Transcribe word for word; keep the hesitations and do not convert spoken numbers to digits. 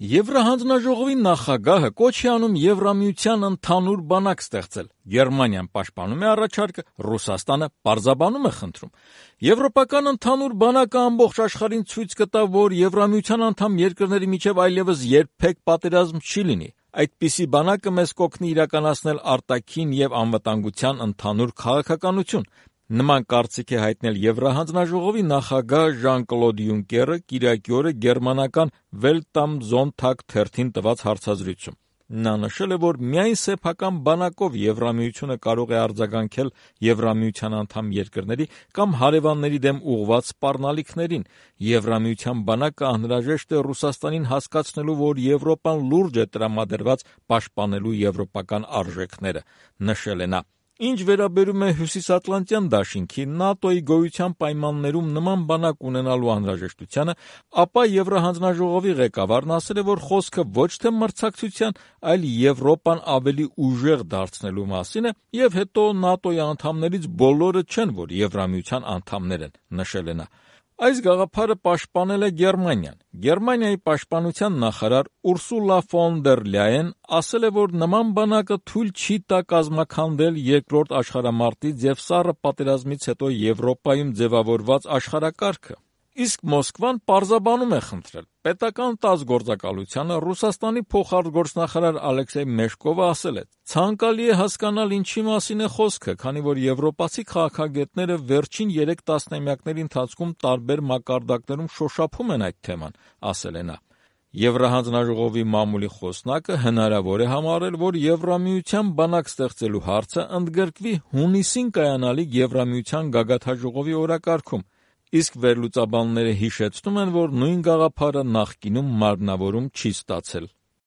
Եվրահանձնաժողովի նախագահը կոչ է անում Եվրամիության ընդհանուր բանակ ստեղծել։ Գերմանիան պաշտպանում է առաջարկը, Ռուսաստանը պարզաբանում է խնդրում։ Եվրոպական ընդհանուր բանակը ամբողջ աշխարհին ցույց կտա, որ Եվրամիության անդամ երկրների միջև այլևս երբեք պատերազմ չի լինի։ Այդպիսի բանակը մեզ կօգնի իրականացնել արտաքին եւ անվտանգության ընդհանուր քաղաքականություն։ Նման կարծիք է հայտնել Եվրահանձնաժողովի նախագահ Ժան-Կլոդ Յունկերը կիրակի օրը գերմանական Welt am Sonntag թերթին տված հարցազրույցում։ Նա նշել է, որ միայն սեփական բանակով Եվրամիությունը կարող է արձագանքել Եվրամիության անդամ երկրների կամ հարևանների դեմ ուղղված սպառնալիքներին։ Եվրամիության բանակը անհրաժեշտ է Ռուսաստանին հասկացնելու, որ Եվրոպան լուրջ է տրամադրված պաշտպանելու եվրոպական արժեքները, նշել է նա։ Ինչ վերաբերում է Հյուսիսատլանտյան դաշինքի ՆԱՏՕ-ի գոյության պայմաններում նման բանակ ունենալու անհրաժեշտությանը, ապա Եվրահանձնաժողովի ղեկավարն ասել է, որ խոսքը ոչ թե մրցակցության, այլ Եվրոպան ավելի ուժեղ դարձնելու մասին է, եւ հետո ՆԱՏՕ-ի անդամներից բոլորը չեն, որ Եվրամիության անդամներ են, նշել է նա։ Այս գաղափարը պաշտպանել է Գերմանիան։ Գերմանիայի պաշտպանության նախարար Ուրսուլա ֆոն դեր Լյաեն ասել է, որ նման բանակը թույլ չի տա կազմաքանդել երկրորդ աշխարհամարտից եւ Սառը պատերազմից հետո Եվրոպայում ձևավորված աշխարհակարգը։ Իսկ Մոսկվան պարզաբանում է խնդրել։ Պետական տաս գործակալությանը Ռուսաստանի փոխարտգործնախարար Ալեքսեյ Մեշկովը ասել է. «Ցանկալի է հասկանալ ինչի մասին է խոսքը, քանի որ եվրոպացի քաղաքագետները վերջին երեք տասնամյակների ընթացքում տարբեր մակարդակներում շոշափում են այդ թեման», ասել է նա։ Եվրահանձնաժողովի մամուլի խոսնակը հնարավոր է համարել, որ Եվրամիության բանակ ստեղծելու հարցը ընդգրկվի հունիսին կայանալիք Եվրամիության գագաթնաժողովի օրակարգում, իսկ վերլուծաբանները հիշեցնում են, որ նույն գաղափարը նախկինում մարմնավորում չի ստացել։